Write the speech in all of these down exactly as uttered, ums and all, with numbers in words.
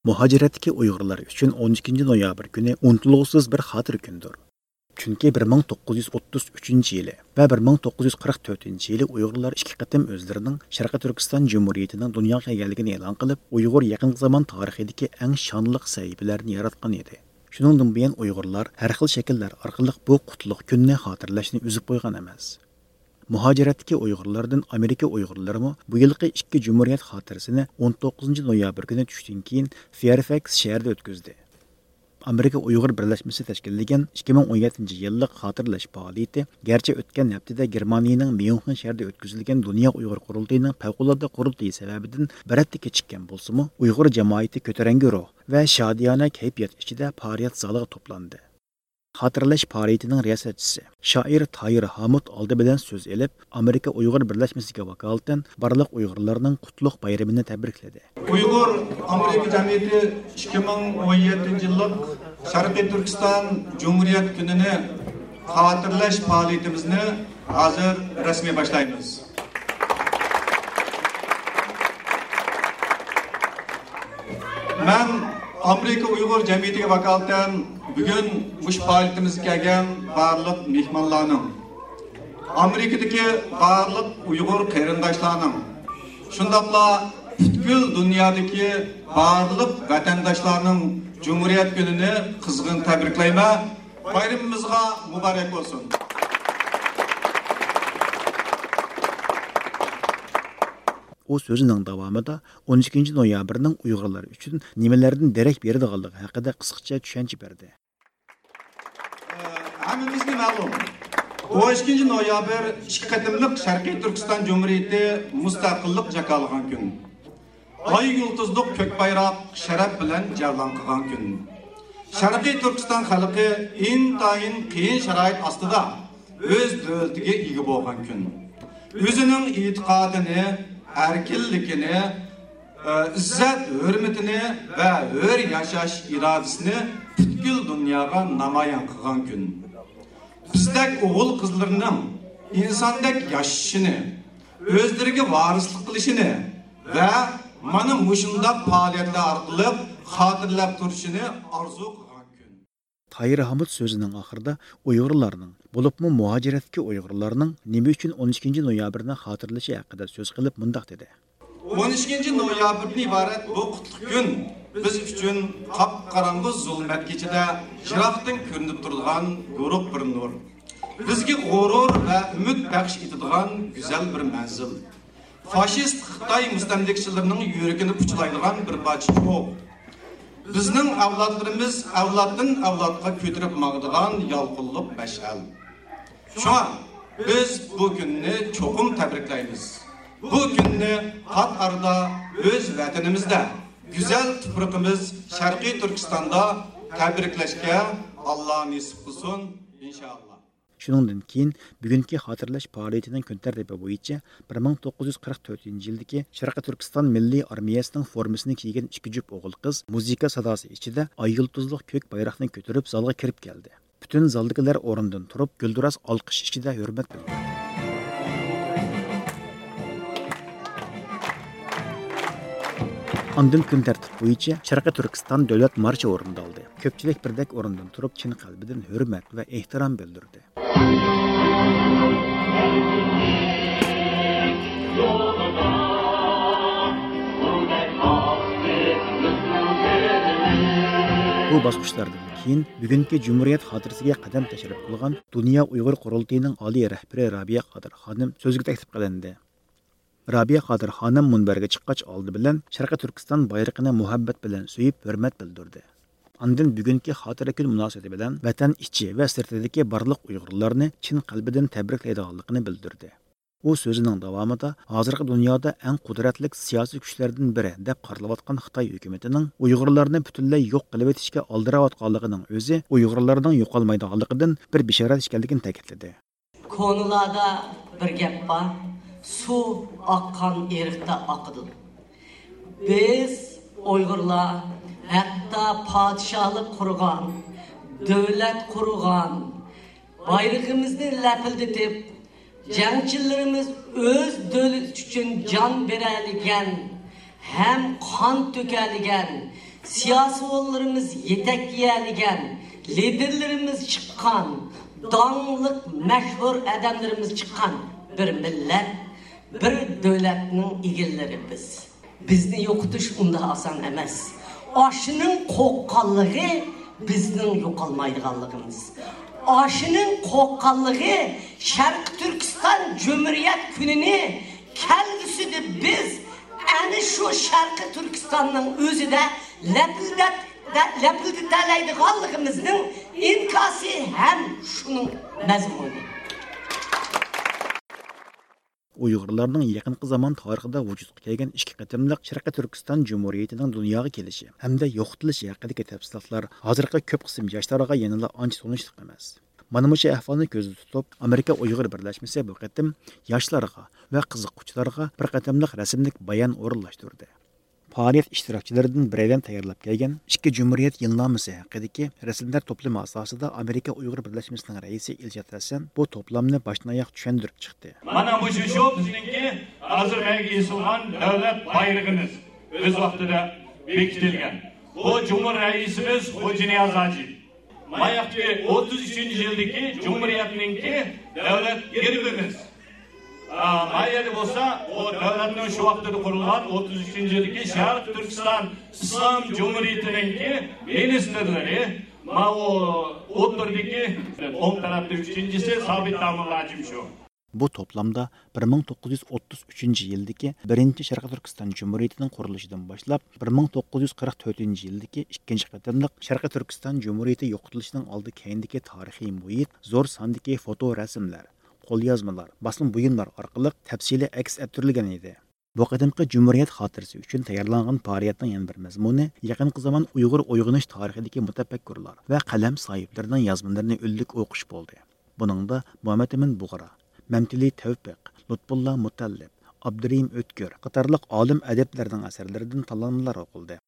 مۇھاجىرەتتىكى ئۇيغۇرلار ئۈچۈن ئون ئىككىنچى نويابىر كۈنى ئۇنتۇلغۇسىز بىر خاتىرە كۈندۇر. چۈنكى بىر مىڭ توققۇز يۈز ئوتتۇز ئۈچىنچى يىلى ۋە بىر مىڭ توققۇز يۈز قىرىق تۆتىنچى يىلى ئۇيغۇرلار ئىككى قېتىم ئۆزلىرىنىڭ شەرقىي تۈركىستان جۇمھۇرىيىتىنىڭ دۇنياغا كەلگەنلىكىنى ئېلان قىلىپ، ئۇيغۇر يېقىنقى زامان تارىخىدىكى ئەڭ شانلىق سەھىپىلەرنى ياراتقان ئىدى. شۇنىڭدىن بۇيان ئۇيغۇرلار ھەر خىل شەكىللەر ئارقىلىق بۇ قۇتلۇق كۈننى خاتىرىلەشنى ئۈزۈپ قويغان ئەمەس. مۇھاجىرەتتىكى ئۇيغۇرلاردىن ئامېرىكا ئۇيغۇرلىرىمۇ بۇ يىلقى ئىككى جۇمھۇرىيەت خاتىرىسىنى ئون توققۇزىنچى نويابىر كۈنى چۈشتىن كېيىن فېيرفەكس شەھىرىدە ئۆتكۈزدى. ئامېرىكا ئۇيغۇر بىرلەشمىسى تەشكىللىگەن ئىككى مىڭ ئون يەتتىنچى يىللىق خاتىرىلەش پائالىيىتى گەرچە ئۆتكەن ھەپتىدە گېرمانىيىنىڭ ميۇنخېن شەھىرىدە ئۆتكۈزۈلگەن دۇنيا ئۇيغۇر قۇرۇلتىيىنىڭ پەۋقۇلئاددە قۇرۇلتىيى سەۋەبىدىن بىر ھەپتە كېچىككەن بولسىمۇ، ئۇيغۇر جامائىتى كۆتۈرەڭگۈ روھ ۋە شادىيانە كەيپىيات ئىچىدە پائالىيەت زالىغا توپلاندى. خاتىرىلەش پائالىيىتىنىڭ رىياسەتچىسى، شائىر تاھىر ھامۇت ئالدى بىلەن سۆز ئېلىپ، ئامېرىكا ئۇيغۇر بىرلەشمىسىگە ۋاكالىتەن بارلىق ئۇيغۇرلارنىڭ قۇتلۇق بايرىمىنى تەبرىكلىدى. ئۇيغۇر ئامېرىكا جەمئىيىتى ئىككى مىڭ ئون يەتتىنچى يىللىق شەرقىي تۈركىستان جۇمھۇرىيەت كۈنىنى خاتىرىلەش پائالىيىتىمىزنى ھازىر رەسمىي باشلايمىز. مەن ئامېرىكا ئۇيغۇر جەمئىيىتىگە ۋاكالىتەن بۈگۈن مۇشۇ پائالىيىتىمىزگە كەلگەن بارلىق مېھمانلارنىڭ، ئامېرىكىدىكى بارلىق ئۇيغۇر قېرىنداشلارنىڭ، شۇنداقلا پۈتكۈل دۇنيادىكى بارلىق ۋەتەنداشلارنىڭ جۇمھۇرىيەت كۈنىنى قىزغىن تەبرىكلەيمەن. بايرىمىمىزغا مۇبارەك بولسۇن! ئۇ سۆزىنىڭ داۋامىدا ئون ئىككىنچى نويابىرنىڭ ئۇيغۇرلار ئۈچۈن نېمىلەردىن دېرەك بېرىدىغانلىقى ھەققىدە قىسقىچە چۈشەنچە بەردى. ھەممىمىزگە مەلۇم، ئون ئىككىنچى نويابىر ئىككى قېتىملىق شەرقىي تۈركىستان جۇمھۇرىيىتى مۇستەقىللىق جاكارلىغان كۈن. ئاي يۇلتۇزلۇق كۆك بايراق شەرەپ بىلەن جەۋلان قىلغان كۈن. شەرقىي تۈركىستان خەلقى ئىنتايىن قىيىن شارائىت ئاستىدا ئۆز دۆلىتىگە ئىگە بولغان كۈن. ئۆزىنىڭ ئېتىقادىنى، ئەركىنلىكىنى، ئىززەت ھۆرمىتىنى ۋە ھۆر ياشاش ئىرادىسىنى پۈتكۈل دۇنياغا نامايان قىلغان كۈن. بىزدەك ئوغۇل قىزلىرىنىڭ ئىنساندەك ياشىشىنى، ئۆزلىرىگە ۋارىسلىق قىلىشىنى ۋە مانا مۇشۇنداق پائالىيەتلەر ئارقىلىق خاتىرىلەپ تۇرۇشىنى ئارزۇ قىلغان كۈن. تاھىر ھامۇت سۆزىنىڭ ئاخىرىدا ئۇيغۇرلارنىڭ، بولۇپمۇ مۇھاجىرەتتىكى ئۇيغۇرلارنىڭ نېمە ئۈچۈن ئون ئىككىنچى نويابىرنى خاتىرىلىشى ھەققىدە سۆز قىلىپ مۇنداق دېدى. ئون ئىككىنچى نويابىردىن ئىبارەت بۇ قۇتلۇق كۈن بىز ئۈچۈن قاپقاراڭغۇ زۇلمەت كېچىدە يىراقتىن كۆرۈنۈپ تۇرىدىغان يورۇق بىر نۇر. بىزگە غۇرۇر ۋە ئۈمىد بەخش ئېتىدىغان گۈزەل بىر مەنزىل. فاشىست خىتاي مۇستەملىكىچىلىرىنىڭ يۈرىكىنى پۇچىلايدىغان بىر پارچە چوغ. بىزنىڭ ئەۋلادلىرىمىز ئەۋلادتىن ئەۋلادقا كۆتۈرۈپ ماڭىدىغان يالقۇنلۇق مەشئەل. شۇڭا بىز بۇ كۈننى چوقۇم تەبرىكلەيمىز. بۇ كۈننى پات ئارىدا ئۆز ۋەتىنىمىزدە، گۈزەل تۇپرىقىمىز شەرقىي تۈركىستاندا تەبرىكلەشكە ئاللا نېسىپ قىلسۇن، ئىنشائاللا. شۇنىڭدىن كېيىن بۈگۈنكى خاتىرىلەش پائالىيىتىنىڭ كۈن تەرتىپى بويىچە بىر مىڭ توققۇز يۈز قىرىق تۆتىنچى يىلدىكى شەرقىي تۈركىستان مىللىي ئارمىيەسىنىڭ فورمىسىنى كىيگەن ئىككى جۈپ ئوغۇل-قىز مۇزىكا ساداسى ئىچىدە ئاي يۇلتۇزلۇق كۆك بايراقنى كۆتۈرۈپ زالغا كىرىپ كەلدى. پۈتۈن زالدىكىلەر ئورنىدىن تۇرۇپ، گۈلدۈراس ئالقىش ئىچىدە ھۆرمەت بىلدۈردى. ئاندىن كۈن تەرتىپ بويىچە شەرقىي تۈركىستان دۆلەت مارشى ئورۇندالدى. كۆپچىلىك بىردەك ئورنىدىن تۇرۇپ، چىن قەلبىدىن ھۆرمەت ۋە ئېھتىرام بىلدۈردى. بۇ باسقۇچلاردىن كېيىن بۈگۈنكى جۇمھۇرىيەت خاتىرىسىگە قەدەم تەشرىپ قىلغان دۇنيا ئۇيغۇر قۇرۇلتىيىنىڭ ئالىي رەھبىرى رابىيە قادىر خانىم سۆزگە تەكلىپ قىلىندى. رابىيە قادىر خانىم مۇنبەرگە چىققاچ ئالدى بىلەن شەرقىي تۈركىستان بايرىقىنى مۇھەببەت بىلەن سۆيۈپ ھۆرمەت بىلدۈردى. ئاندىن بۈگۈنكى خاتىرە كۈن مۇناسىۋىتى بىلەن ۋەتەن ئىچى ۋە سىرتىدىكى بارلىق ئۇيغۇرلارنى چىن قەلبىدىن تەبرىكلەيدىغانلىقىنى بىلدۈردى. ئۇ سۆزىنىڭ داۋامىدا ھازىرقى دۇنيادا ئەڭ قۇدرەتلىك سىياسىي كۈچلەردىن بىرى دەپ قارىلىۋاتقان خىتاي ھۆكۈمىتىنىڭ ئۇيغۇرلارنى پۈتۈنلەي يوق قىلىۋېتىشكە ئالدىراۋاتقانلىقىنىڭ ئۆزى ئۇيغۇرلارنىڭ يوقالمايدىغانلىقىدىن بىر بېشارەت ئىكەنلىكىنى تەكىتلىدى. كونىلاردا بىر گەپ بار، سۇ ئاققان ئېرىقتا ئاقىدۇ. بىز ئۇيغۇرلار ھەتتا پادىشاھلىق قۇرغان، دۆلەت قۇرغان، بايرىقىمىزنى لەپىلدىتىپ، جەڭچىلىرىمىز ئۆز دۆلىتى ئۈچۈن جان بېرەلىگەن ھەم قان تۆكەلىگەن سىياسىيونلىرىمىز يېتەكلىيەلىگەن، لىدېرلىرىمىز چىققان، داڭلىق، مەشھۇر ئادەملىرىمىز چىققان بىر مىللەت، بىر دۆلەتنىڭ ئىگىلىرى بىز. بىزنى يوقىتىش ئۇنداق ئاسان ئەمەس. ئاشۇنىڭ قورققانلىقى بىزنىڭ يوقالمايدىغانلىقىمىز. ئاشۇنىڭ قورققانلىقى شەرقىي تۈركىستان جۇمھۇرىيەت كۈنىنى كەلگۈسىدە بىز ئەنە شۇ شەرقىي تۈركىستاننىڭ ئۆزىدە لەپىلدەپ، لەپىلدىتەلەيدىغانلىقىمىزنىڭ ئىنكاسى ھەم شۇنىڭ مەزمۇنى. ئۇيغۇرلارنىڭ يېقىنقى زامان تارىخىدا ۋۇجۇدقا كەلگەن ئىككى قېتىملىق شەرقىي تۈركىستان جۇمھۇرىيىتىنىڭ دۇنياغا كېلىشى ھەمدە يوقىتىلىشى ھەققىدىكى تەپسىلاتلار ھازىرقى كۆپ قىسىم ياشلارغا يەنىلا ئانچە تونۇشلۇق ئەمەس. مانا مۇشۇ ئەھۋالنى كۆزدە تۇتۇپ، ئامېرىكا ئۇيغۇر بىرلەشمىسى بۇ قېتىم ياشلارغا ۋە قىزىققۇچىلارغا بىر قېتىملىق رەسىملىك بايان ئورۇنلاشتۇردى. پائالىيەت ئىشتىراكچىلىرىدىن بىرەيلەن تەييارلاپ كەلگەن ئىككى جۇمھۇرىيەت يىلنامىسى ھەققىدىكى رەسىملەر توپلىمى ئاساسىدا ئامېرىكا ئۇيغۇر بىرلەشمىسىنىڭ رەئىسى ئىلشات ھەسەن بۇ توپلامنى باشتىن ئاياغ چۈشەندۈرۈپ چىقتى. مانا مۇشۇ شو بىزنىڭكى ھازىر مەيگە ئېسىلغان دۆلەت بايرىقىمىز، ئۆز ۋاقتىدا بېكىتىلگەن. بۇ جۇمھۇر رەئىسىمىز خوجانىياز ھاجى. ماياقتىكى ئوتتۇز ئۈچىنچى يىلدىكى جۇمھۇرىيەتنىڭكى دۆلەت گېربىمىز. ئا، ما يەردە بولسا، ئۇ دۆلەتنىڭ شۇ ۋاقتىدا قۇرۇلغان ئوتتۇز ئۈچىنچى يىلدىكى شەرقىي تۈركىستان ئىسلام جۇمھۇرىيىتىنىڭكى مىنىستىرلىرى، ماۋۇ ئوتتۇرىدىكى ئوڭ تەرەپتە ئۈچىنچىسى سابىت داموللا ھاجىم شۇ. بۇ توپلامدا بىر مىڭ توققۇز يۈز ئوتتۇز ئۈچىنچى يىلدىكى بىرىنچى شەرقىي تۈركىستان جۇمھۇرىيىتىنىڭ قۇرۇلۇشىدىن باشلاپ، بىر مىڭ توققۇز يۈز قىرىق تۆتىنچى يىلدىكى ئىككىنچى قېتىملىق شەرقىي تۈركىستان جۇمھۇرىيىتى يوقىتىلىشىنىڭ ئالدى كەينىدىكى تارىخىي مۇھىت، زور ساندىكى فوتو رەسىملەر، قوليازمىلار، باسما بۇيۇملار ئارقىلىق تەپسىلىي ئەكس ئەتتۈرۈلگەن ئىدى. بۇ قېتىمقى جۇمھۇرىيەت خاتىرىسى ئۈچۈن تەييارلانغان پائالىيەتنىڭ يەنە بىر مەزمۇنى يېقىنقى زامان ئۇيغۇر ئويغىنىش تارىخىدىكى مۇتەپەككۇرلار ۋە قەلەم ساھىبلىرىنىڭ يازمىلىرىنى ئۈنلۈك ئوقۇش بولدى. بۇنىڭدا مۇھەممەتئىمىن بۇغرا، مەمتىلى تەۋپىق، لۇتپۇللا مۇتەللىپ، ئابدۇرېھىم ئۆتكۈر قاتارلىق ئالىم ئەدىبلەرنىڭ ئەسەرلىرىدىن تاللانمىلار ئوقۇلدى.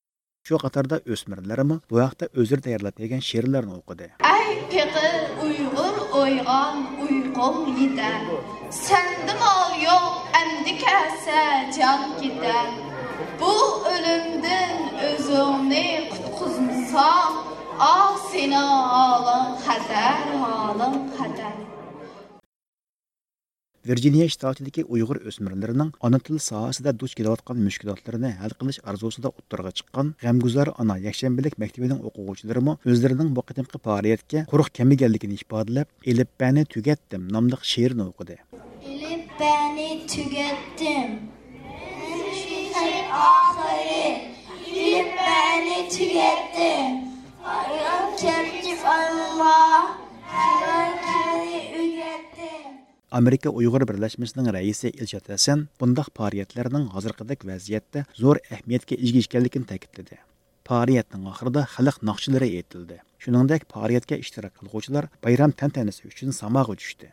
شۇ قاتاردا ئۆسمۈرلەرمۇ بۇ ھەقتە ئۆزلىرى تەييارلاپ بەرگەن شېئىرلارنى ئوقۇدى. ئەي پېقىر ئۇيغۇر ئويغان، ئۇيقۇڭ يېتەر. سەندە مال يوق، ئەمدى كەلسە جان كېتەر. بۇ ئۆلۈمدىن ئۆزۈڭنى قۇتقۇزمىساڭ، ئاھ، سېنىڭ ھالىڭ خەتەر، ھالىڭ خەتەر. ۋىرجىنىيە شتاتىدىكى ئۇيغۇر ئۆسمۈرلىرىنىڭ ئانا تىل ساھەسىدە دۇچ كېلىۋاتقان مۈشكۈلاتلىرىنى ھەل قىلىش ئارزۇسىدا ئوتتۇرىغا چىققان غەمگۇزار ئانا يەكشەنبىلىك مەكتىپىنىڭ ئوقۇغۇچىلىرىمۇ ئۆزلىرىنىڭ بۇ قېتىمقى پائالىيەتكە قۇرۇق كەلمىگەنلىكىنى ئىپادىلەپ، ئېلىپبەنى تۈگەتتىم ناملىق شېئىرنى ئوقۇدى. ئېلىپبەنى تۈگەتتىم. ئاخىرى. ئېلىپبەنى تۈگەتتىم. ئايان كەلتىپ ئالما. ئايان كەلتىپ ئۆگەتتىم. ئامېرىكا ئۇيغۇر بىرلەشمىسىنىڭ رەئىسى ئىلشات ھەسەن بۇنداق پائالىيەتلەرنىڭ ھازىرقىدەك ۋەزىيەتتە زور ئەھمىيەتكە ئىگە ئىكەنلىكىنى تەكىتلىدى. پائالىيەتنىڭ ئاخىرىدا خەلق ناخشىلىرى ئېيتىلدى. شۇنىڭدەك پائالىيەتكە ئىشتىراك قىلغۇچىلار بايرام تەنتەنىسى ئۈچۈن ساماغا چۈشتى.